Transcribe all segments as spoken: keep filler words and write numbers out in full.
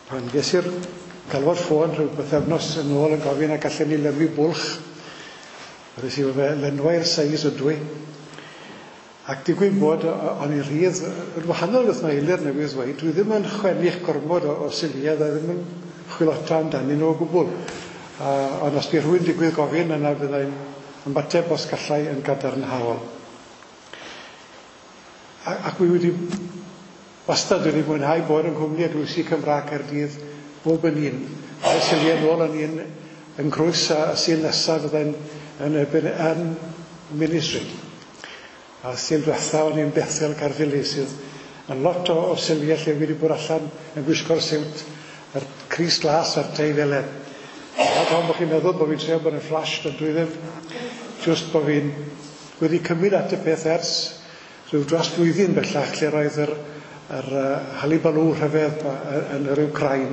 Pan ges i'r galwad ffôn rhyw bythefnos yn ôl yn gofyn a gallen ni lenwi bwlch, wedes i fe lenwai'r seis ydw i. Ac digwydd bod o'n i rhydd yn wahanol wrth mae Eilir newydd ddweud, dwi ddim yn chwennych gormod o, o Suliau, a ddim yn chwilota amdanyn nhw o gwbl. Uh, ond os bydd rhywun digwydd gofyn, yna byddai'n ymateb os gallai yn gadarnhaol. A, ac wi wedi wastad wedi mwynhau bod yng nghwmni Eglwysi Cymraeg Caerdydd bob yn un. A'r Suliau nôl yn un yn Crwys a y Sul nesaf fyddai'n yn, yn, yn Minnie Street. A Sul diwetha o'n i'n Bethel Caerffili sydd yn lot o, o Suliau lle wedi bod allan yn gwisgo'r siwt, yr crys glas a'r tei felen. A pan bod chi'n meddwl bod fi'n trio bod yn flash, ond dwi ddim. Just bod fi'n wedi cymryd at y peth ers rhyw dros blwyddyn bellach lle roedd yr, yr uh, halibalw rhyfedd yn yr Wcrain.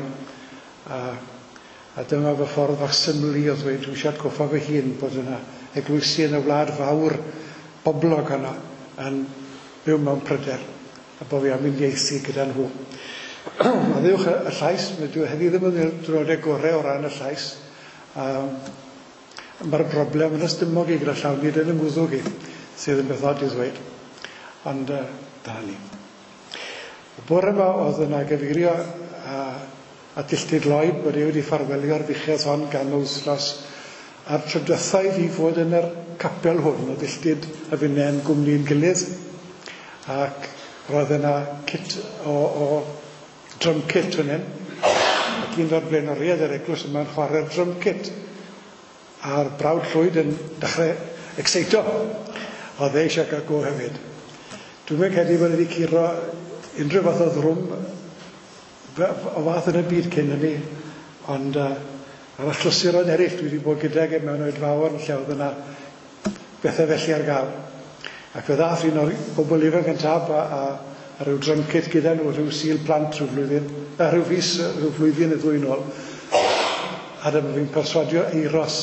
A, a dyma fy ffordd fach syml i o ddweud, dwi eisiau atgoffa fy hun bod yna eglwysi yn y wlad fawr boblog yna yn byw mewn pryder a bod fi am uniaethu gyda nhw. Maddeuwch y, y llais, dwi heddi ddim yn diwrnodau gorau o ran y llais. Um, Mae'r broblem yn ystymog i gyda llaw, nid yn y ngwddwg i, sydd yn beth od i ddweud. Ond uh, dyna ni. Y bore yma oedd yna gyfeirio a, a Illtud Lloyd bod e wedi ffarwelio'r fuchedd hon gan wythnos a'r tro diwetha i fi fod yn yr capel hwn oedd Illtud a finne yn gwmni'n gilydd ac roedd yna kit o, o drum kit fan hyn ac un o'r blaenoriaid yr eglwys yma'n chwarae'r drum kit a'r brawd Llwyd yn dechrau exeito. Oedd e eisiau cael go hefyd. Dwi'n mynd credu bod wedi curo unrhyw fath o ddrwm o fath yn y byd cyn hynny, ond uh, ar achlysuron eraill dwi wedi bod gydag e mewn oedfaon lle oedd yna bethau felly ar gael. Ac fe ddath un o'r bobl ifanc yn tab a, a, a rhyw drum kit gyda nhw, rhyw Sul plant rhyw flwyddyn, a rhyw fis, rhyw flwyddyn y ddwy nôl. A dyma fi'n perswadio Eiros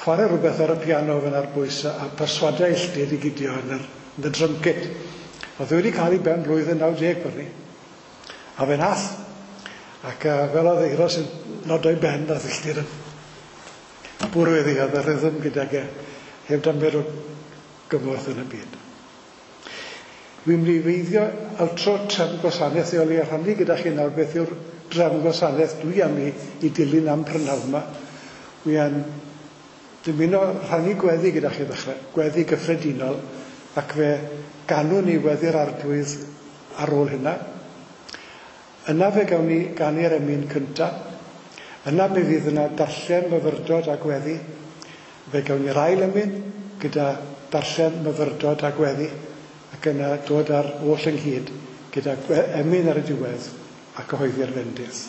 chwarae rhywbeth ar y piano fan ar bwys a, a perswadio Illtud i gydio yn yr, yn y drum kit. Oedd wedi cael ei ben blwyddyn naw deg bod ni. A fe nath. Ac uh, fel oedd Eiros yn nodio'i ben, nath Illtud yn bwrw iddi, oedd y rhythm gydag e, heb damer o gymorth yn y byd. Dwi'n mynd i feiddio altro trefn gwasanaeth i oli a rhannu gyda chi nawr beth yw'r drefn gwasanaeth dwi am i, i dilyn am prynhawn yma. Wi yn dymuno rhannu gweddi gyda chi ddechrau, gweddi gyffredinol, ac fe ganwn ni weddi'r Arglwydd ar ôl hynna. Yna fe gawn ni ganu'r emyn cyntaf. Yna mi fydd yna darllen myfyrdod a gweddi. Fe gawn ni'r ail emyn gyda darllen myfyrdod a gweddi, ac yna dod ar oll ynghyd gyda emyn ar y diwedd a cyhoeddi'r fendith.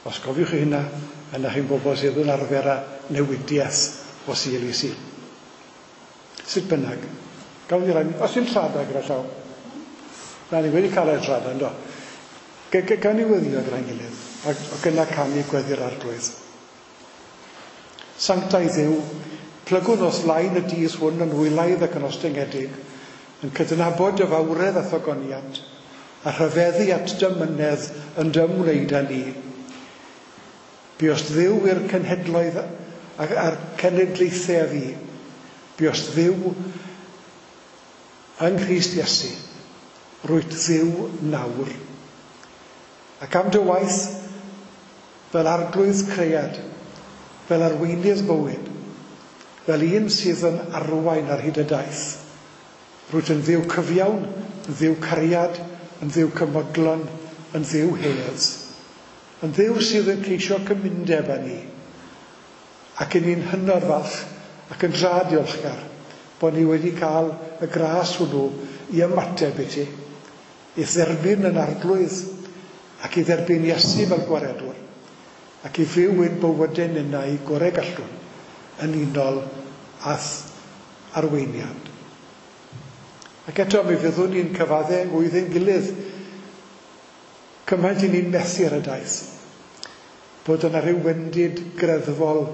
Os gofiwch chi hynna, yna chi'n bobl sydd yn arfer â newidiaeth o Sul i Sul. Sut bynnag, gawn ni rai, os yw'n trada gyda llaw. Na, ni wedi cael ei trada, ynddo. Gawn ni weddio gyda'n gilydd, ac, ac yna canu gweddi'r Arglwydd. Sanctaidd Dduw, plygwn o'th flaen y dydd hwn yn wylaidd ac yn ostyngedig, yn cydnabod dy fawredd a thogoniant, a rhyfeddu at dy mynedd yn dy ymwneud â ni. Buost Dduw i'r cenhedloedd a'r cenedlaethau a fi. Buost Dduw yng Nghrist Iesu. Rwyt Dduw nawr. Ac am dy waith fel arglwydd cread, fel arweinydd bywyd, fel un sydd yn arwain ar hyd y daith. Rwyt yn Dduw cyfiawn, yn Dduw cariad, yn Dduw cymodlon, yn Dduw hedd. Yn Dduw sydd yn ceisio cymundeb â ni. Ac yn ni'n hynod falch ac yn dra diolchgar bod ni wedi cael y gras hwnnw i ymateb i ti, i dderbyn yn arglwydd ac i dderbyn Iesu fel gwaredwr ac i fyw ein bywydau ninnau gorau gallwn yn unol â'th arweiniad. Ac eto mi fyddwn ni'n cyfadde yng ngwydd gilydd cymaint i ni'n methu ar y daith, bod yna rhyw wendid greddfol,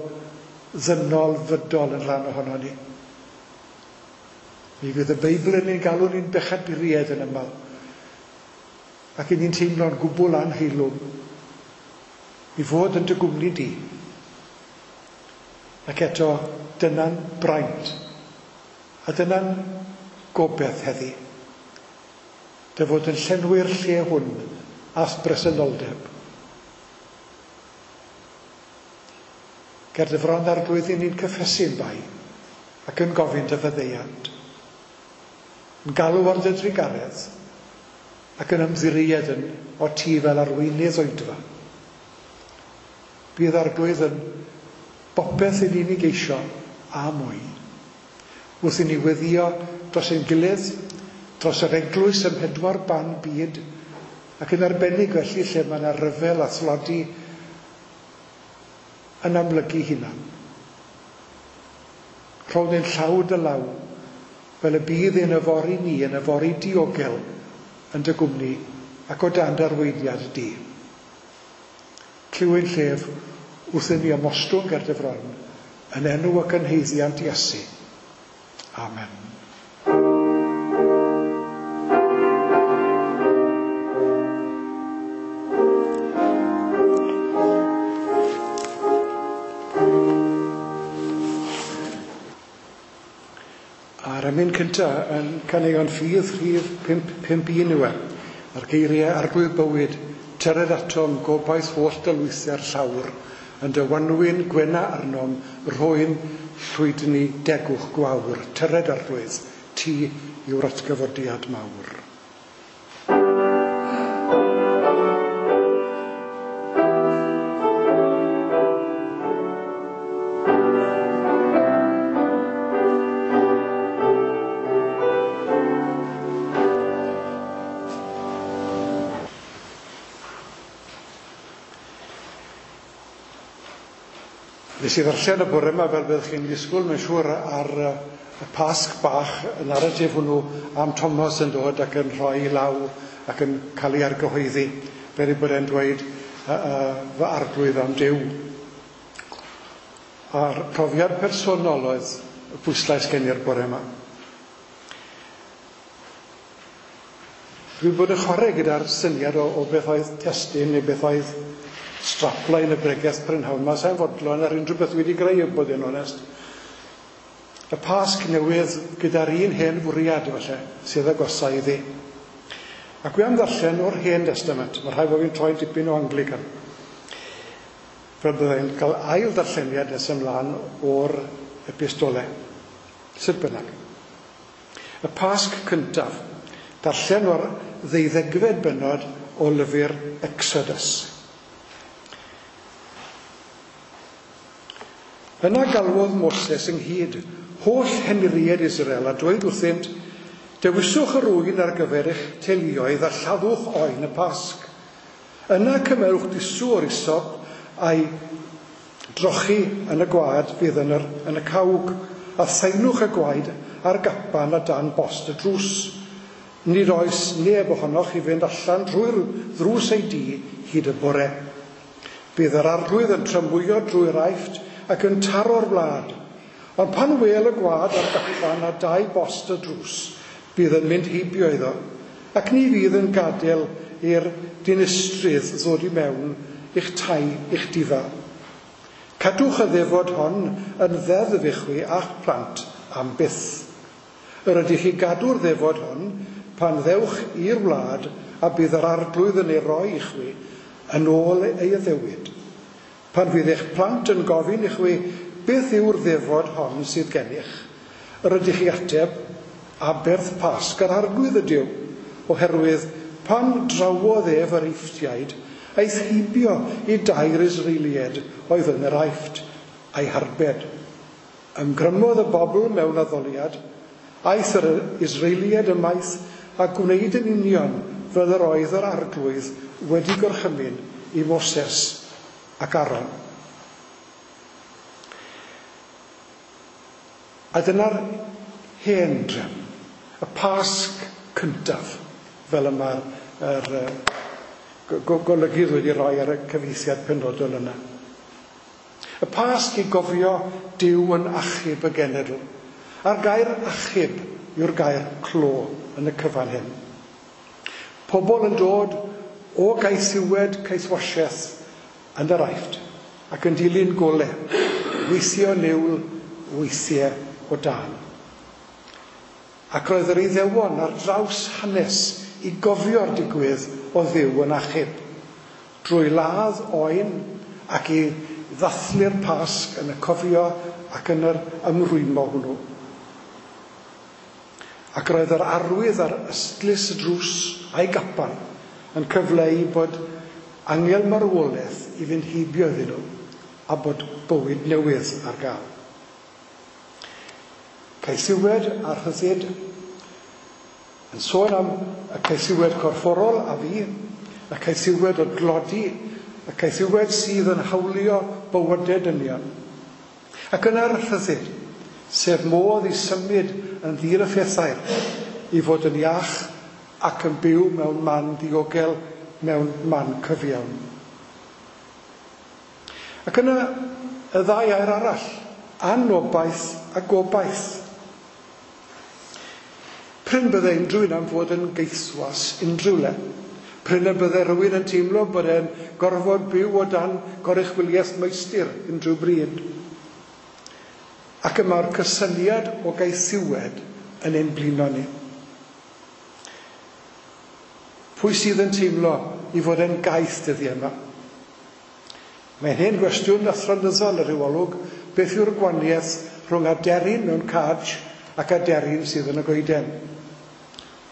ddynol, fydol yn rhan ohono ni. Mi fydd y Beibl yn ein galw ni'n bechaduriaid yn aml, ac i ni'n teimlo'n gwbl anheilwng. I fod yn dy gwmni di. Ac eto, dyna'n braint a dyna'n gobeith heddi. Dy fod yn llenwi'r lle hwn a'th bresenoldeb. Ger dy fron Arglwydd i ni'n cyffesu'n bai ac yn gofyn dy faddeuant. Yn galw ar dy drugaredd ac yn ymddiried yn o ti fel arweinydd oedfa. Bydd Arglwydd yn bopeth i ni'n ei geisio a mwy. Wrth i ni weddïo dros ein gilydd, dros yr eglwys ym mhedwar ban byd, ac yn arbennig felly lle mae yna ryfel a thlodi yn amlygu hunan. Rhown ein llaw dy law, fel y bydd ein yfory ni yn yfory diogel yn dy gwmni ac o dan dy arweiniad di. Clyw ein llef wrth i ni ymostwng ger dy fron yn enw ac yn haeddiant Iesu. Amen. A'r emyn cynta yn caneuon ffydd rhif pump pump un yw e. A'r geiriau Arglwydd bywyd, tyred atom gobaith holl dylwythiau'r llawr, yn dy wanwyn gwena arnom, rhoen llwydni degwch gwawr, tyred Arglwydd, ti yw'r atgyfodiad mawr. Nes i ddarllen y bore yma fel byddwch chi'n disgwyl, mae'n siŵr, ar y Pasg bach, y naratif hwnnw am Thomas yn dod ac yn rhoi ei law ac yn cael ei argyhoeddi, fel ei bod e'n dweud uh, uh, fy arglwydd am Duw. A'r profiad personol oedd y pwyslais gen i'r bore yma. Dwi'n bod yn chwarae gyda'r syniad o, o beth oedd testun neu beth oedd strapline y bregeth prynhawn yma, sa'n fodlon ar unrhyw beth wedi greu, bod yn onest. Y Pasg newydd gyda'r un hen fwriad, falle, sydd agosa iddi. Ac wi am ddarllen o'r Hen Testament, mae rhaid bod fi'n troi dipyn o Anglican. Fel byddai'n cael ail ddarlleniad nes ymlaen o'r epistole. Sut bynnag. Y Pasg cyntaf, darllen o'r ddeuddegfed bennod o lyfr Exodus. Yna galwodd Moses ynghyd holl henuriaid Israel a dweud wrthynt, dewiswch yr ŵyn ar gyfer eich teuluoedd a lladdwch oen y Pasg. Yna cymerwch dusw o'r isop a'i drochi yn y gwaed fydd yn, yr, yn y cawg, a thaenwch y gwaed ar gapan a dan bost y drws. Nid oes neb ohonoch i fynd allan drwy'r ddrws ei dŷ hyd y bore. Bydd yr Arglwydd yn tramwyo drwy'r Aifft ac yn taro'r wlad. Ond pan wel y gwaed ar gapan a dau bost y drws, bydd yn mynd heibio iddo, ac ni fydd yn gadael i'r dinistrydd ddod i mewn i'ch tai, i'ch difa. Cadwch y ddefod hon yn ddeddf i chwi a'ch plant am byth. Yr ydych chi gadw'r ddefod hon pan ddewch i'r wlad a bydd yr Arglwydd yn ei roi i chwi yn ôl ei addewid. Pan fydd eich plant yn gofyn i chwi beth yw'r ddefod hon sydd gennych, yr ydych chi ateb aberth Pasg yr Arglwydd ydyw, oherwydd pan drawodd ef yr Eifftiaid, aeth heibio i dair Israeliaid oedd yn yr Aifft a'i harbed. Ymgrymodd y bobl mewn addoliad, aeth yr Israeliaid ymaith a gwneud yn union fel yr oedd yr Arglwydd wedi gorchymyn i Moses ac Aaron. A dyna'r hen drefn, y Pasg cyntaf, fel y mae'r er, golygydd wedi rhoi ar y cyfieithiad penodol yna. Y Pasg i gofio Duw yn achub y genedl. A'r gair achub yw'r gair clo yn y cyfan hyn. Pobl yn dod o gaethiwed caethwasiaeth yn yr Aifft ac yn dilyn gole, weithio niwl, weithiau o dân. Ac roedd yr Iddewon ar draws hanes i gofio'r digwydd o Dduw yn achub, drwy ladd oen ac i ddathlu'r Pasg yn y cofio ac yn yr ymrwymo hwnnw. Ac roedd yr arwydd ar ystlys y drws a'i gapan yn cyfleu bod angel marwolaeth i fynd heibio iddyn nhw a bod bywyd newydd ar gael. Caethiwed a rhyddid yn sôn am y caethiwed corfforol a fi, y caethiwed o dlodi, y caethiwed sydd yn hawlio bywydau dynion. Ac yna'r rhyddid, sef modd i symud yn ddilyffethair i fod yn iach ac yn byw mewn man diogel, mewn man cyfiawn. Ac yna y ddau air arall, anobaith a gobaith. Prin bydde unrhyw un am fod yn gaethwas unrhyw le. Prin y bydde rhywun yn teimlo bod e'n gorfod byw o dan goruchwyliaeth meistr unrhyw bryd. Ac y mae'r cysyniad o gaethiwed yn ein blino ni. Pwy sydd yn teimlo i fod yn gaeth dyddiau yma? Mae'n hen gwestiwn athronyddol ar ryw olwg, beth yw'r gwahaniaeth rhwng aderyn mewn cage ac aderyn sydd yn y goeden?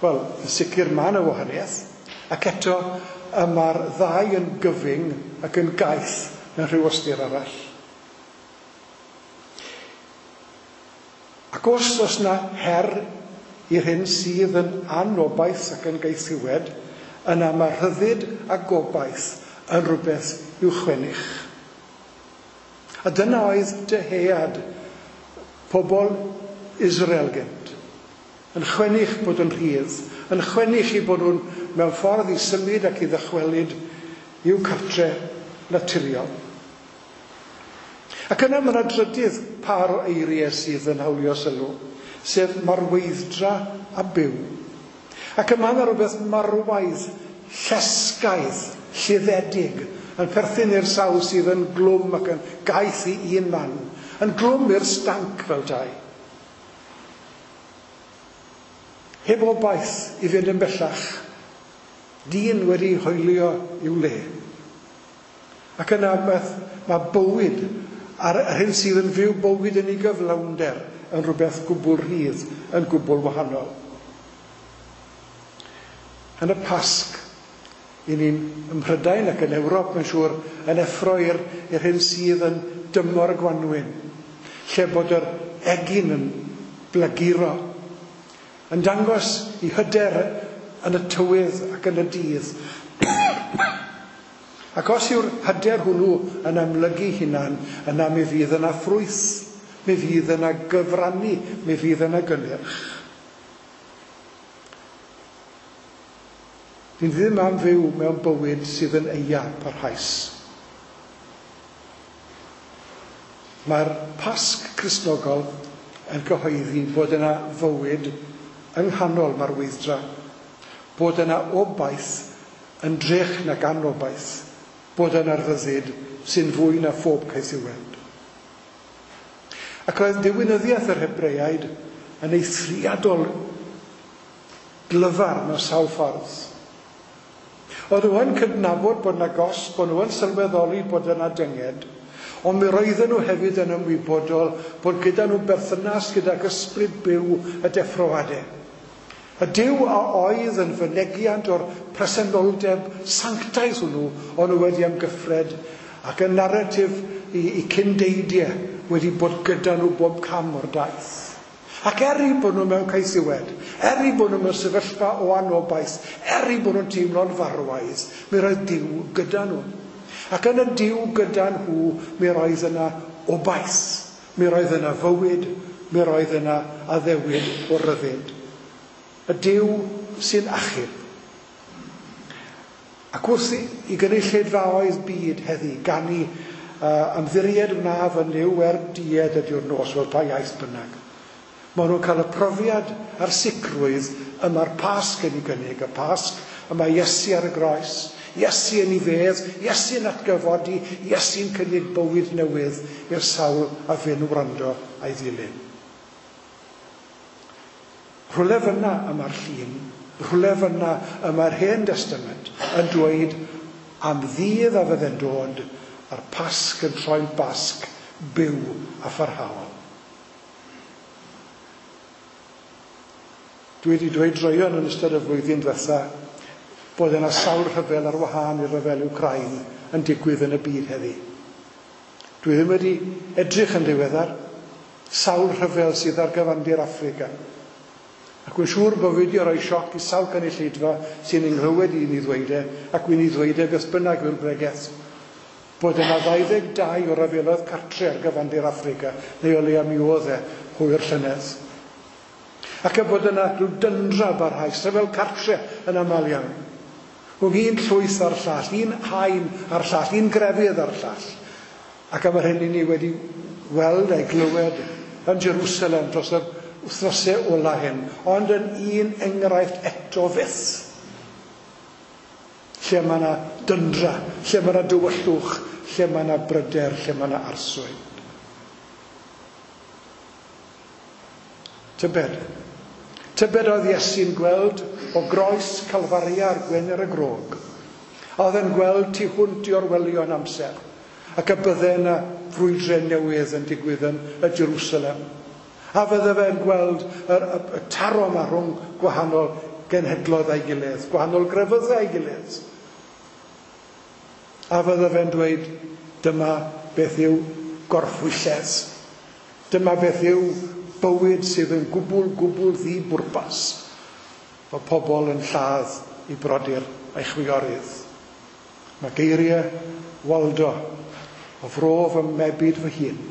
Wel, yn sicr mae yna wahaniaeth, ac eto y mae'r ddau yn gyfyng ac yn gaeth mewn rhyw ystyr arall. Ac os oes yna her i'r hyn sydd yn anobaith ac yn gaethiwed, yna mae rhyddid a gobaith yn rhywbeth i'w chwennych. A dyna oedd dyhead pobl Israel gynt. Yn chwennych bod yn rhydd, yn chwennych i bod nhw'n mewn ffordd i symud ac i ddychwelyd i'w cartre naturiol. Ac yna mae yna drydydd par o eiriau sydd yn hawlio sylw, sef marweidd-dra a byw. Ac yma yna rhywbeth marwaidd, llesgaidd, lluddedig, yn perthyn i'r sawl sydd yn glwm ac yn gaeth i un man, yn glwm i'r stanc fel dau. Heb obaith i fynd yn bellach, dyn wedi hoelio i'w le. Ac yna mae bywyd, a'r hyn sydd yn fyw bywyd yn ei gyflawnder, yn rhywbeth gwbl rhydd, yn gwbl wahanol. Yn y Pasg, i ni'n ym Mhrydain ac yn Ewrop, mae'n siŵr, yn effro i'r, i'r hyn sydd yn dymor y gwanwyn, lle bod yr egin yn blaguro, yn dangos i hyder yn y tywydd ac yn y dydd. Ac os yw'r hyder hwnnw yn amlygu hunan, yna mi fydd yna ffrwyth, mi fydd yna gyfrannu, mi fydd yna gynnyrch. Ni ddim am fyw mewn bywyd sydd yn eia parhaus. Mae'r Pasg Cristnogol yn cyhoeddi bod yna fywyd yng nghanol marweidd-dra, bod yna obaith yn drech nag anobaith, bod yna rhyddid sy'n fwy na phob caethiwed. Ac roedd diwinyddiaeth yr Hebreaid yn eithriadol glyfar mewn sawl ffordd. Oedd nhw yn cydnabod bod yna gosb, bod nhw yn sylweddoli bod yna dynged, ond mi roedden nhw hefyd yn ymwybodol bod gyda nhw berthynas gydag ysbryd byw y deffroadau. Y Duw a oedd yn fynegiant o'r presenoldeb sanctaidd hwnnw, o'n nhw wedi amgyffred ac y naratif i, i cyndeidiau wedi bod gyda nhw bob cam o'r daith. Ac er eu bod nhw mewn caethiwed, er eu bod nhw mewn sefyllfa o anobaith, er eu bod nhw'n teimlo'n farwaidd, mi roedd Duw gyda nhw. Ac yn y Duw gyda nhw, mi roedd yna obaith, mi roedd yna fywyd, mi roedd yna addewid o ryddid. Y Duw sy'n achub. Ac wrth i gynulleidfaoedd byd heddi ganu uh, ymddiried wnaf yn Nuw er died ydiw'r nos, wel pa iaith bynnag. Maen nhw'n cael y profiad a'r sicrwydd y mae'r Pasg yn ei gynnig, y Pasg y mae Iesu ar y groes, Iesu yn ei fedd, Iesu'n atgyfodi, Iesu'n cynnig bywyd newydd i'r sawl a fyn wrando a'i ddilyn. Rhywle fyna y mae'r llun, rhywle fyna y mae'r Hen Destament yn dweud am ddydd a fydde'n dod a'r Pasg yn troi'n Basg byw a pharhaol. Dwi wedi dweud droeon yn ystod y flwyddyn diwetha bod yna sawl rhyfel ar wahân i'r rhyfel Wcráin yn digwydd yn y byd heddi. Dwi ddim wedi edrych yn ddiweddar, sawl rhyfel sydd ar gyfandir Affrica. Ac wy'n siŵr bod fi wedi rhoi sioc i sawl cynulleidfa sy'n nghlywed i ni ddweud e, ac wy'n i ddweud e beth bynnag yw'r bregeth, bod yna ddau ddeg dau o ryfeloedd cartre ar gyfandir Affrica, neu o leia mi oedd e hwyr llynedd. Ac y bod yna rhyw dyndra barhaus, rhyfel cartre yn aml iawn. Rhwng un llwyth a'r llall, un haen a'r llall, un grefydd a'r llall. Ac am yr hyn i ni wedi weld a'i glywed yn Jerusalem dros yr wythnosau ola hyn, ond yn un enghraifft eto fyth. Lle mae yna dyndra, lle mae yna dywyllwch, lle mae yna bryder, lle mae yna arswyd. Tybed. Tybed oedd Iesu'n gweld o groes Calfaria ar Gwener y Grog. Oedd e'n gweld tu hwnt i orwelion amser, ac y bydde yna frwydre newydd yn digwydd yn y Jerusalem. A fydde fe'n gweld y, y, y taro yma rhwng gwahanol genhedloedd a'i gilydd, gwahanol grefyddau a'i gilydd. A fydde fe'n dweud, dyma beth yw gorffwylledd. Dyma beth yw bywyd sydd yn gwbl, gwbl ddi-bwrpas. Mae pobl yn lladd i brodyr a'i chwiorydd. Mae geiriau Waldo o fro fy mebyd fy hun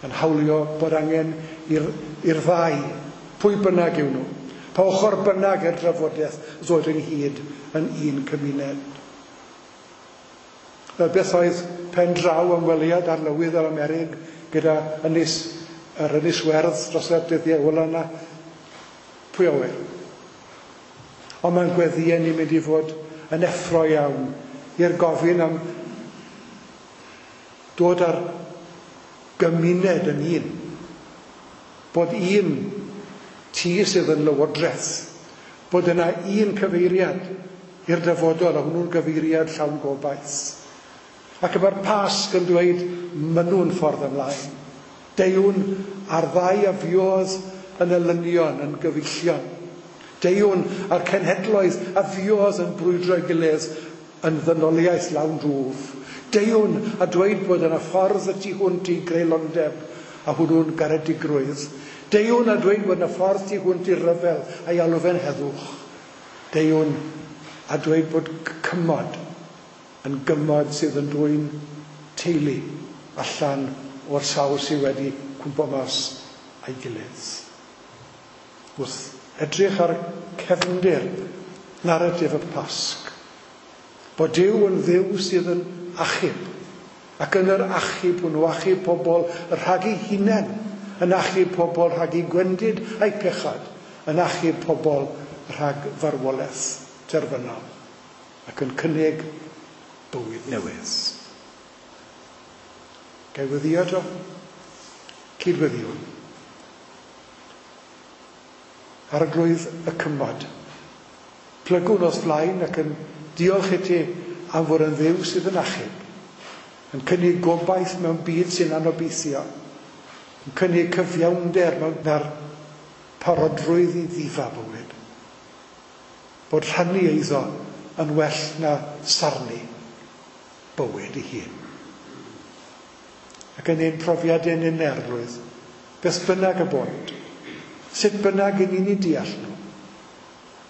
yn hawlio bod angen i'r, i'r ddau, pwy bynnag yw nhw, pa ochr bynnag i'r drafodaeth ddod ynghyd yn un cymuned. Fel beth oedd pen draw ymweliad arlywydd yr Amerig gyda ynys, yr Ynys Werdd dros y dyddiau ola yna, pwy a ŵyr. Ond mae'n gweddïau ni'n mynd i fod yn effro iawn i'r gofyn am dod ar gymuned yn un. Bod un tŷ sydd yn lywodraeth, bod yna un cyfeiriad i'r dyfodol, a hwnnw'n gyfeiriad llawn gobaith. Ac mae'r Pasg yn dweud, maen nhw'n ffordd ymlaen. Deuwn a'r ddau a fuodd yn elynion, yn gyfeillion. Deuwn a'r cenhedloedd a fuodd yn brwydro ei gilydd yn ddynoliaeth lawn drwf. Deuwn a dweud bod yna ffordd y tu hwnt i greulondeb a hwnnw'n garedigrwydd. Deuwn a dweud bod yna ffordd tu hwnt i ryfel a'i alw fe'n heddwch. Deuwn a dweud bod cymod yn gymod sydd yn dwyn teulu allan o'r sawl sydd wedi cwmpo mas a'i gilydd. Wrth edrych ar cefndir naratif y Pasg, bod Duw yn Dduw sydd yn achub, ac yn yr achub hwnnw achub pobl rhag ei hunain, yn achub pobl rhag ei gwendid a'i pechad, yn achub pobl rhag farwolaeth terfynol, ac yn cynnig bywyd newydd. Gai weddïo to? Cydweddiwn. Arglwydd y cymod, plygwn o'th flaen ac yn diolch i ti am fod yn Dduw sydd yn achub, yn cynnig gobaith mewn byd sy'n anobeithio, yn cynnig cyfiawnder mewn na'r parodrwydd i ddifa bywyd. Bod rhannu eiddo yn well na sarnu bywyd ei hun. Ac yn ein profiad ein unerlwydd, beth bynnag y bont, sut bynnag i ni'n ei deall nhw,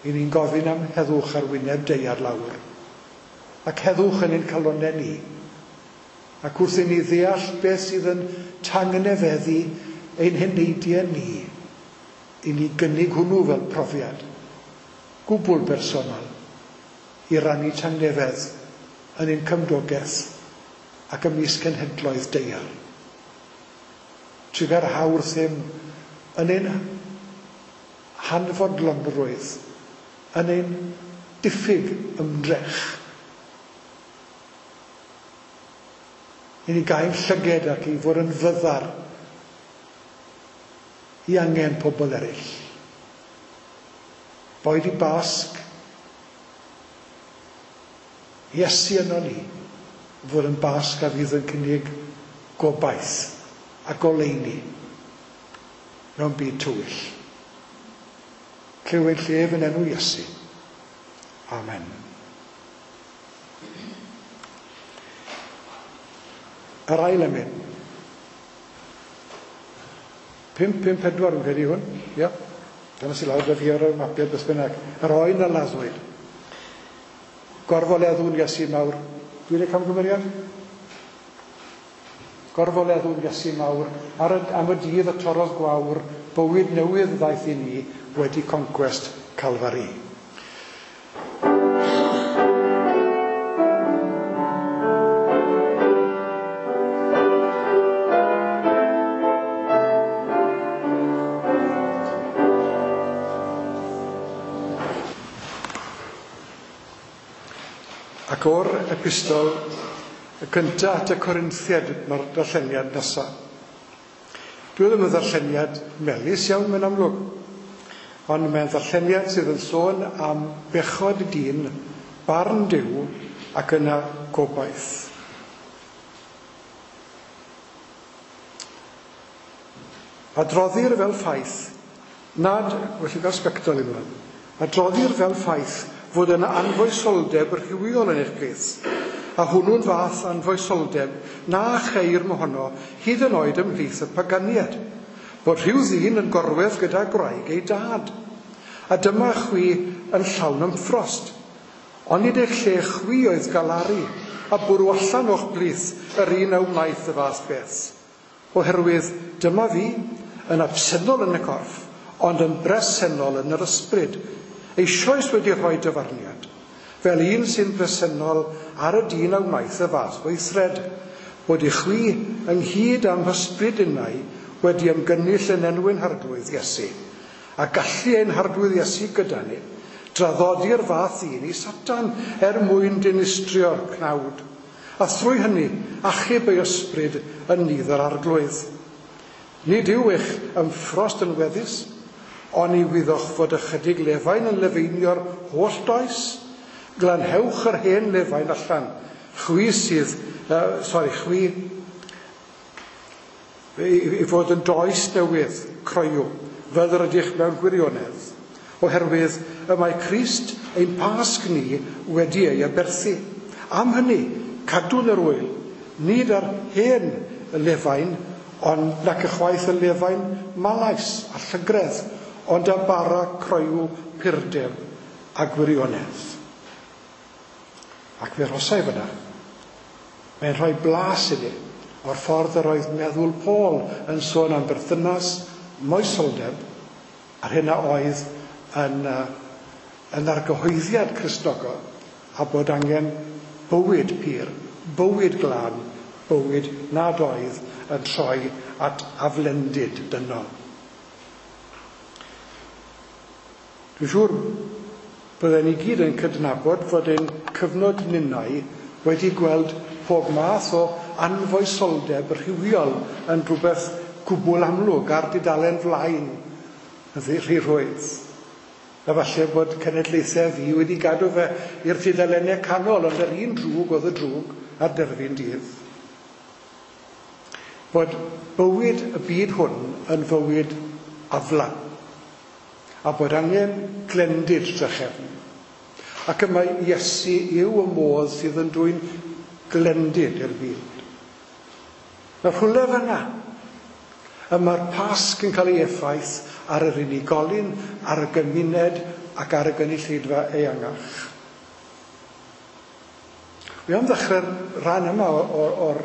i ni'n gofyn am heddwch ar wyneb daear lawr, ac heddwch yn ein calonnau ni, ac wrth i ni ddeall beth sydd yn tangnefeddu ein heneidiau ni, i ni gynnig hwnnw fel profiad, gwbl bersonol, i rannu tangnefedd yn ein cymdogaeth ac ymysg cenhedloedd daear. Trugarha wrthym yn ein hanfodlonrwydd, yn ein diffyg ymdrech I ni gael llyged ac i fod yn fyddar i angen pobl eraill. Boed i Basg, Iesu yno ni, fod yn Basg a fydd yn cynnig gobaith a goleuni mewn byd tywyll. Clywed llef yn enw Iesu. Amen. Yr ail emyn. Pump, pump, pedwar yn credu hwn. Ia. Dyna sy'n lawr da fi ar y mapiau beth bynnag. Yr oen a laddwyd. Gorfoleddwn Iesu mawr. Dwi'n ei camgymeriad? Gorfoleddwn Iesu mawr. Ar y, am y dydd y torrodd gwawr, bywyd newydd ddaeth i ni wedi concwest Calfari. Ac o'r epistol y cyntaf at y Corinthiaid mae'r darlleniad nesaf. Dwi ddim yn ddarlleniad melys iawn mewn amlwg, ond mae'n ddarlleniad sydd yn sôn am bechod dyn, barn Duw ac yna gobaith. Adroddir fel ffaith nad, felly gael sbectol i ymlaen, adroddir fel ffaith fod yna anfoesoldeb rhywiol yn eich plith, a hwnnw'n fath anfoesoldeb na cheir mohono hyd yn oed ymhlith y paganiad, bod rhyw ddyn yn gorwedd gyda gwraig ei dad, a dyma chwi yn llawn ymffrost, ond nid eich lle chwi oedd galaru, a bwrw allan o'ch plith yr un a wnaeth y fath beth, oherwydd dyma fi yn absennol yn y corff, ond yn bresennol yn yr ysbryd, eisoes wedi rhoi dyfarniad, fel un sy'n bresennol ar y dyn a wnaeth y fath weithred, bod i chwi ynghyd â'm hysbryd innau wedi ymgynnull yn enw ein Harglwydd Iesu, a gallu ein Harglwydd Iesu gyda ni, draddodi'r fath un i Satan er mwyn dinistrio'r cnawd, a thrwy hynny achub ei ysbryd yn nydd yr Arglwydd. Nid yw eich ymffrost yn weddus, ond i wyddoch fod ychydig lefain yn lefeinio'r holl does, glanhewch yr hen lefain allan, chwi sydd, uh, sorry, chwi, i, i fod yn does newydd, croyw, fel yr ydych mewn gwirionedd, oherwydd y mae Crist ein Pasg ni wedi ei aberthu. Am hynny, cadw'n yr wyl, nid ar hen lefain, ond nac ychwaith y lefain malais a llygredd, ond a bara croyw purdeb a gwirionedd. Ac fe rosai fyna. Mae'n rhoi blas i ni o'r ffordd yr oedd meddwl Paul yn sôn am berthynas, moesoldeb, a'r hyn a oedd yn, uh, yn argyhoeddiad Cristnogol, a bod angen bywyd pur, bywyd glân, bywyd nad oedd yn troi at aflendid dynol. Dwi'n siŵr bydden ni gyd yn cydnabod fod ein cyfnod ninnau wedi gweld pob math o anfoesoldeb rhywiol yn rhywbeth gwbl amlwg ar dudalen flaen yn rhy rhwydd. A falle bod cenedlaethau fi wedi gadw fe i'r tudalennau canol, ond yr un drwg oedd y drwg ar derfyn dydd. Bod bywyd y byd hwn yn fywyd aflan, a bod angen glendid drachefn. Ac y mae Iesu yw y modd sydd yn dwyn glendid i'r byd. Mae rhywle fan'na, y mae'r Pasg yn cael ei effaith ar yr unigolyn, ar y gymuned ac ar y gynulleidfa eangach. Wi am ddechrau'r rhan yma o'r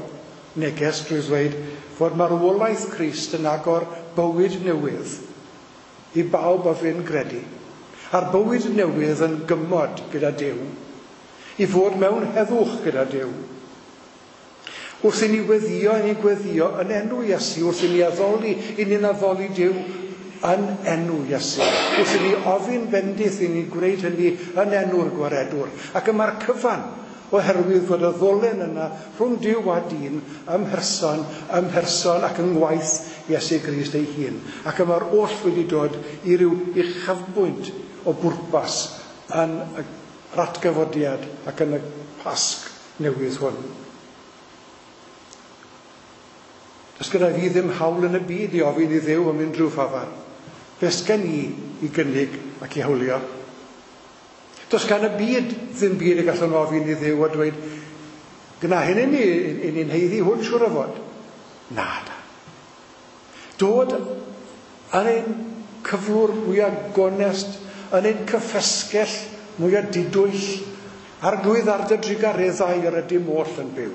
neges drwy ddweud fod marwolaeth Crist yn agor bywyd newydd i bawb a fyn gredu. A'r bywyd newydd yn gymod gyda Duw, i fod mewn heddwch gyda Duw. Wrth i ni weddio, i ni gweddio yn enw Iesu, wrth i ni addoli, i ni'n addoli Duw yn enw Iesu. Wrth i ni ofyn bendith, i ni'n gwneud hynny yn enw'r Gwaredwr. Ac y mae'r cyfan Oherwydd fod y ddolen yna rhwng Duw a dyn ym mherson, ym mherson ac yng ngwaith Iesu Grist ei hun. Ac y mae'r oll wedi dod i ryw uchafbwynt o bwrpas yn yr atgyfodiad ac yn y Pasg newydd hwn. Does gyda fi ddim hawl yn y byd i ofyn i Dduw am unrhyw ffafar. Beth gen i i gynnig ac i hawlio? Does gan y byd ddim byd y gallwn ofyn i Dduw a dweud, gyna hyn i ni, i ni'n haeddu hwn siŵr o fod. Na, da. Dod yn ein cyflwr mwyaf gonest, yn ein cyffesgell mwyaf didwyll, Arglwydd ar dy drugareddau yr ydym oll yn byw.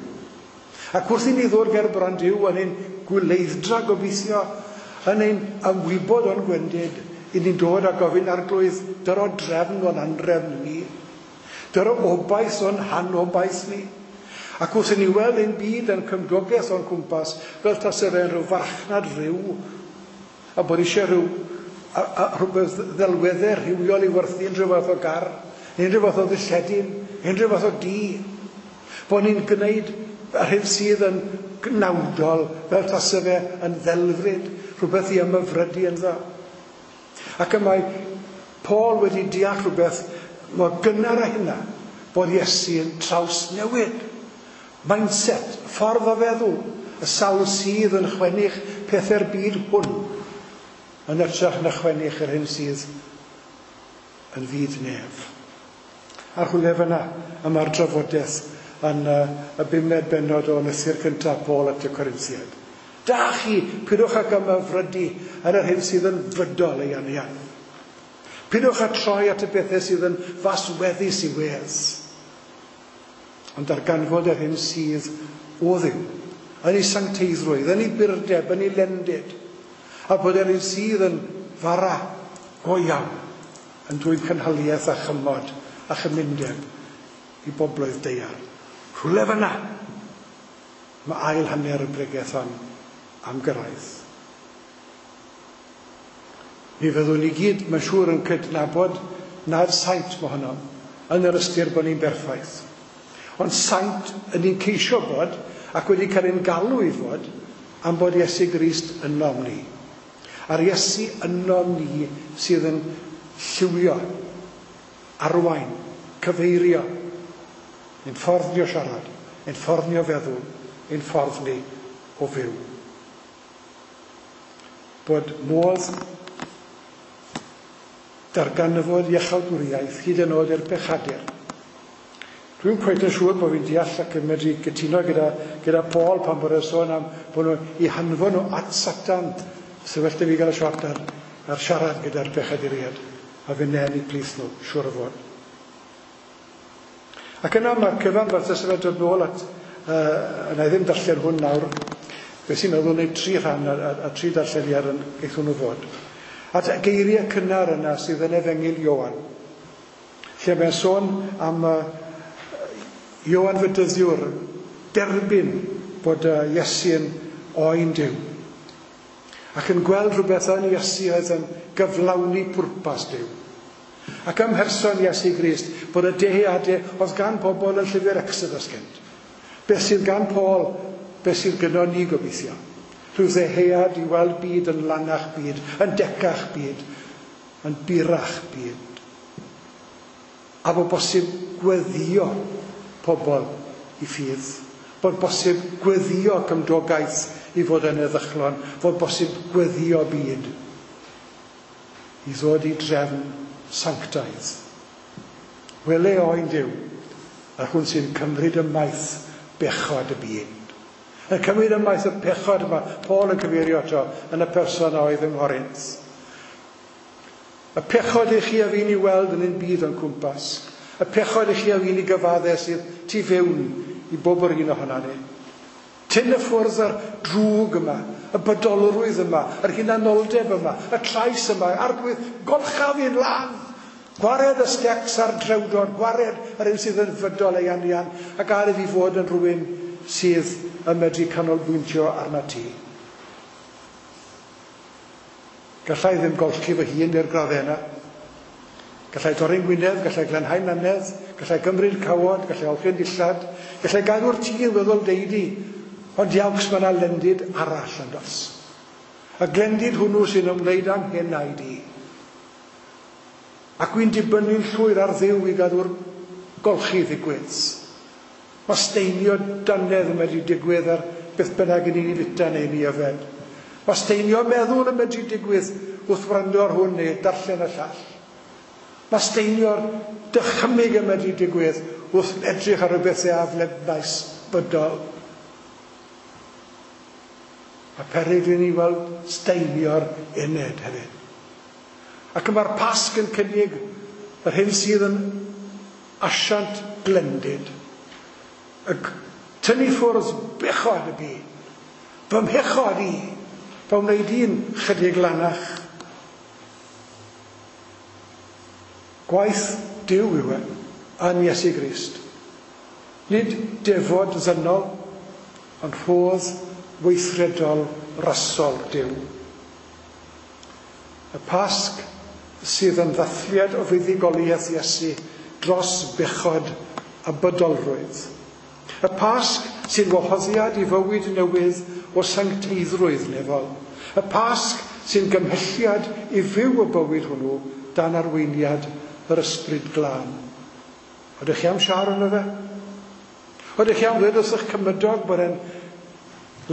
Ac wrth i ni ddod ger bron Duw yn ein gwyleidd-dra gobeithio, yn ein ymwybod o'n gwendid, i ni'n dod a gofyn Arglwydd, dyro drefn o'n anrefn ni, dyro obaith o'n hanobaith ni. Ac wrth i ni weld ein byd yn cymdogaeth o'n cwmpas, fel tase fe'n rhyw farchnad rhyw, a bod eisiau rhyw, a, a, rhywbeth ddelweddau rhywiol i werthu unrhyw fath o gar, unrhyw fath o ddilledyn, unrhyw fath o dŷ. Bod ni'n gwneud yr hyn sydd yn gnawdol, fel tase fe yn ddelfryd, rhywbeth i ymhyfrydu ynddo. Ac y mae Paul wedi deall rhywbeth mor gynnar â hynna, bod Iesu yn trawsnewid. Mindset, ffordd o feddwl, y sawl sydd yn chwennych pethau'r byd hwn, yn hytrach na chwennych yr hyn sydd yn fyd nef. A rhywle fyna y mae'r drafodaeth yn uh, y bumed bennod o lythyr cyntaf Paul at y Corinthiaid. Da chi, pidwch ag ymhyfrydu ar yr hyn sydd yn fydol ei anian. Pidwch â troi at y bethau sydd yn fasweddus i wedd. Ond darganfod yr hyn sydd o Dduw, yn ei sancteiddrwydd, yn ei burdeb, yn ei lendid, a bod yr hyn sydd yn fara go iawn, yn dwyn cynhaliaeth a chymod a chymundeb i bobloedd daear. Rhywle fyna, mae ail hanner y bregeth hon am gyrraedd. Mi fyddwn ni gyd, mae'n siŵr, yn cydnabod nad saint mohonom, yn yr ystyr bod ni'n berffaith. Ond saint yn ni'n ceisio bod, ac wedi cael ein galw i fod, am bod Iesu Grist ynom ni. A'r Iesu ynom ni sydd yn lliwio, arwain, cyfeirio, ein ffordd ni o siarad, ein ffordd ni o feddwl, ein ffordd ni o fyw. Bod modd darganfod iachawdwriaeth hyd yn oed i'r pechadur. Dwi'n cweit yn siŵr bod fi'n deall ac yn medru gytuno gyda, gyda Paul pan bod e'n sôn am bod nhw i hanfon nhw at Satan. So well da fi gael y siot ar, ar siarad gyda'r pechaduriaid a fe nen i plith nhw, siŵr o fod. Ac yna mae'r cyfan fel tase fe'n dod nôl at, uh, yna i ddim darllen hwn nawr, beth sy'n meddwl wneud tri rhan a, a, a tri darlleniad yn eith hwnnw fod. At y geiriau cynnar yna sydd yn Efengyl Ioan, lle mae'n sôn am uh, Ioan Fedyddiwr, derbyn bod uh, Iesu yn oen Duw. Ac yn gweld rhywbeth yn Iesu oedd yn gyflawni pwrpas Duw. Ac ym mherson Iesu Grist, bod y dyheadau oedd gan pobl yn llyfr Exodus gynt. Beth sydd gan Paul, beth sydd gyda ni gobeithio. Rhyw ddyhead i weld byd yn lanach byd, yn decach byd, yn burach byd. A bod bosib gweddio pobl i ffydd. Bod bosib gweddio cymdogaeth i fod yn heddychlon. Bod bosib gweddio byd i ddod i drefn sanctaidd. Wele oen Duw, yr hwn sy'n cymryd ymaith bechod y byd. Yn cymryd ymaith y pechod yma, Paul yn cyfeirio ato yn y person a oedd yng Nghorinth. Y pechod i chi a fi'n i weld yn ein byd o'n cwmpas. Y pechod i chi a fi'n i gyfadde sydd tu fewn i bob yr un ohono ni. Tyn y ffwrdd yr drwg yma, y bodolrwydd yma, yr hunanoldeb yma, y trais yma, Arglwydd, golcha fi'n lan. Gwared y stecs a'r drewdod, gwared yr un sydd yn fydol ei anian, ac ar i fi fod yn rhywun sydd yn medru canolbwyntio arna ti. Gallai ddim golchi fy hun i'r graddau yna. Gallai dorri'n gwynedd, gallai glanhau'n nannedd, gallai gymryd cawod, gallai olchi'n dillad, gallai gadw'r tŷ yn weddol deidi, ond iawcs mae yna lendid arall yn dos. Y glendid hwnnw sy'n ymwneud â'n henaid i. Ac wy'n dibynnu'n llwyr ar Dduw i gadw'r golchi ddigwydd. Mae steinio dannedd yn medru digwydd ar beth bynnag yn ni'n fita neu ni yfed. Mae steinio meddwl yn medru digwydd wrth wrando ar hwn neu darllen y llall. Mae steinio'r dychymyg yn medru digwydd wrth edrych ar rhywbeth aflednais bydol. A peryg i ni weld steinio'r ened hefyd. Ac mae'r Pasg yn cynnig yr hyn sydd yn asiant glendid. Y tynnu ffwrdd bechod y byd. Fy mhechod i, fy wneud i'n chydig lanach. Gwaith Duw yw e yn Iesu Grist. Nid defod ddynol, ond rhodd weithredol rasol Duw. Y Pasg sydd yn ddathliad o fuddugoliaeth Iesu dros bechod a bydolrwydd. Y Pasg sy'n wahoddiad i fywyd newydd o sancteiddrwydd nefol. Y Pasg sy'n gymhelliad i fyw y bywyd hwnnw dan arweiniad yr Ysbryd Glân. Oeddech chi am siarad yno fe? Oeddech chi am ddweud wrth eich cymydog bod e'n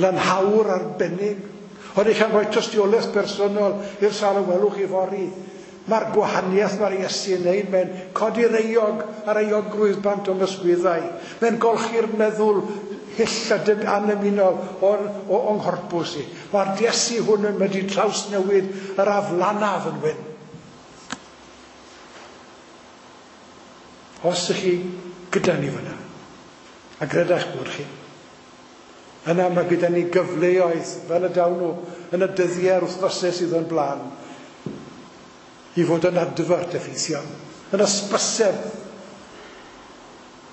lanhawr arbennig? Oeddech chi am rhoi tystiolaeth personol i'r sawl y welwch chi fory? Mae'r gwahaniaeth mae'r Iesu yn neud, mae'n codi'r euog a'r euogrwydd bant o'n ysgwyddau. Mae'n golchi'r meddwl hyll a anymunol o'n, o'n nghorpws i. Mae'r Iesu hwn yn medru trawsnewid yr aflanaf yn wyn. Os ych chi gyda ni fyna, a greda'ch bod chi, yna mae gyda ni gyfleoedd fel y dawn nhw yn y dyddiau a'r wythnosau sydd o'n blaen, i fod yn adfart effeithiol, yn ysbyseb.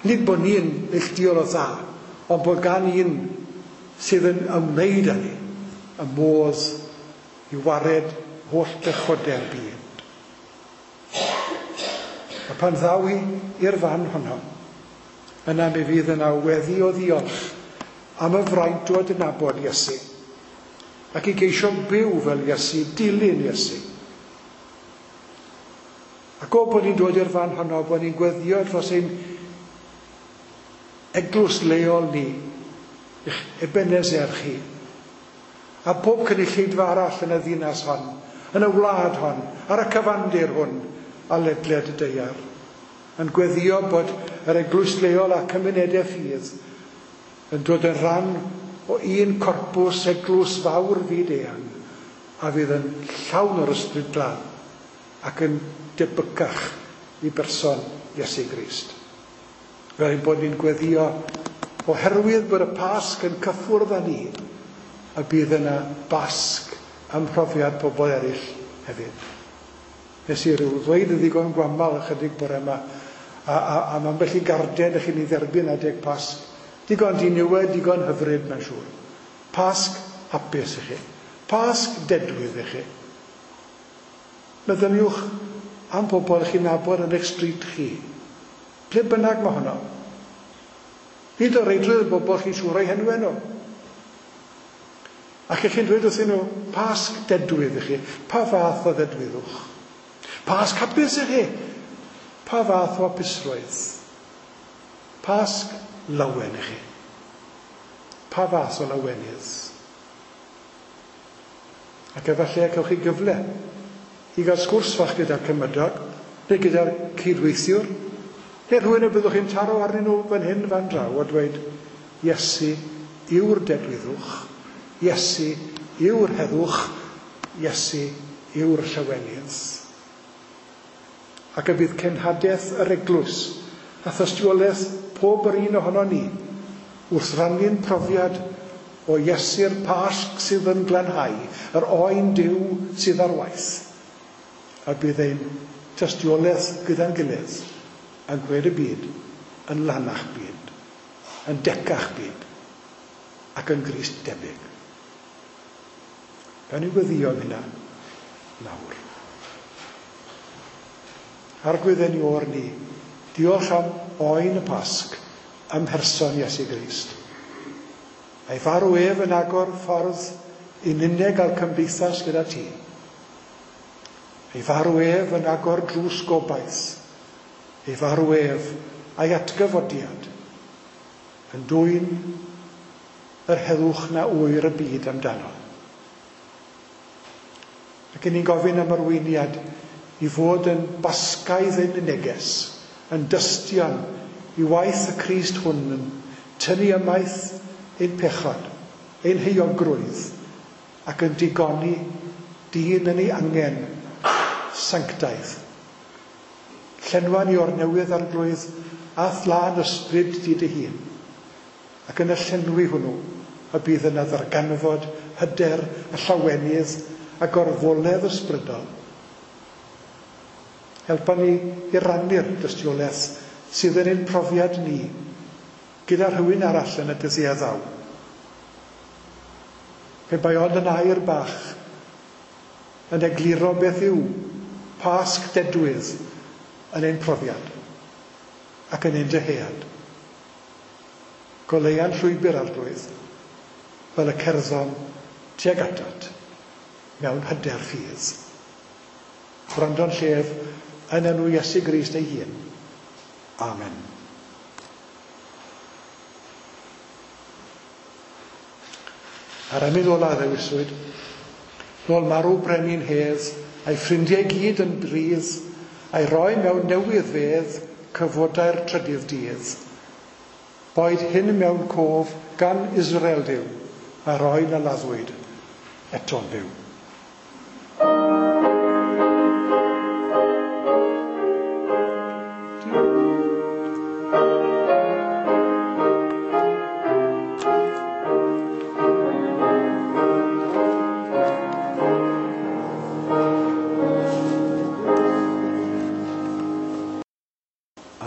Nid bod ni'n neilltuol o dda, ond bod gan un sydd yn ymwneud â ni y modd i wared holl bechodau'r byd. A pan ddaw i i'r fan honno, yna mi fydd yna weddi o ddiolch am y fraint o adnabod Iesu, ac i geisio byw fel Iesu, dilyn Iesu. Ac o bod ni'n dod i'r fan honno, bod ni'n gweddio dros ein eglwys leol ni, eich Ebenezer chi, a pob cynulleidfa arall yn y ddinas hon, yn y wlad hon, ar y cyfandir hwn, a ledled y daear, yn gweddio bod yr eglwys leol a cymunedau ffydd yn dod yn rhan o un corpws eglwys fawr fyd eang a fydd yn llawn o'r Ysbryd Glân ac yn debycach i berson Iesu Grist. Fel ein bod ni'n gweddio oherwydd bod y Pasg yn cyffwrdd â ni, a bydd yna Basg ym mhrofiad pobl eraill hefyd. Nes i ryw ddweud yn ddigon gwamal ychydig bore yma, a, a, a am ambell i garden ych chi'n ei dderbyn adeg Pasg. Digon diniwed, digon hyfryd, mae'n siŵr. Pasg hapus i chi. Pasg dedwydd i chi. Meddyliwch am bobl chi'n nabod yn eich stryd chi. Ble bynnag mae honno. Nid o reidrwydd y bobl chi'n siŵr o'i henwau nhw. Ac ych chi'n dweud wrthyn nhw, Pasg dedwydd i chi. Pa fath o ddedwyddwch? Pasg hapus i chi. Pa fath o hapusrwydd? Pasg lawen i chi. Pa fath o lawenydd? Ac efallai cewch chi gyfle i gael sgwrs fach gyda'r cymydog, neu gyda'r cydweithiwr, neu rhywun y byddwch chi'n taro arnyn nhw fan hyn fan draw a dweud, Iesu yw'r dedwyddwch, Iesu yw'r heddwch, Iesu yw'r llawenydd. Ac y bydd cenhadaeth yr eglwys a thystiolaeth pob yr un ohono ni wrth rannu'n profiad o Iesu'r Pasg sydd yn glanhau, yr oen Duw sydd ar waith. A bydd ein tystiolaeth gyda'n gilydd yn gwneud y byd yn lanach byd, yn decach byd, ac yn Grist debyg. Gawn ni weddïo am hynna nawr. Arglwydd ein Iôr ni, Diolch am oen y Pasg ym mherson Iesu Grist. A'i farw ef yn agor ffordd i ninne gael cymdeithas gyda ti. Ei farw ef yn agor drws gobaith. Ei farw ef a'i atgyfodiad yn dwyn yr heddwch na ŵyr y byd amdano. Ac 'yn ni'n gofyn am arweiniad i fod yn basgaidd ein neges, yn dystion i waith y Crist hwn yn tynnu ymaith ein pechod, ein heuogrwydd, ac yn digoni dyn yn ei angen sanctaidd. Llenwa ni o'r newydd, Arglwydd, a'th lân ysbryd di dy hun, ac yn y llenwi hwnnw y bydd yna ddarganfod hyder a llawenydd a gorfoledd ysbrydol. Helpa ni i rannu'r dystiolaeth sydd yn ein profiad ni gyda rhywun arall yn y dyddiau ddaw. Pe bai ond yn air bach yn egluro beth yw Pasg dedwydd yn ein profiad ac yn ein dyhead. Goleua'n llwybr, Arglwydd, fel y cerddom tuag atat mewn hyder ffydd. Gwrando'n llef yn enw Iesu Grist ei hun. Amen. A'r emyn ola ddewiswyd, nôl marw brenin hedd, a'i ffrindiau gyd yn bridd, a'i roi mewn newydd fedd, cyfodau'r trydydd dydd. Boed hyn mewn cof gan Israel Duw, a roi na laddwyd eto'n fyw.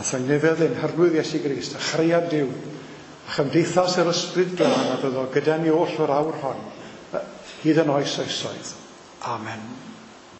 A thangnefedd ein Harglwydd Iesu Grist, a chariad Duw, a chymdeithas yr Ysbryd Glân a fyddo gyda ni oll o'r awr hon, hyd yn oes oesoedd. Amen.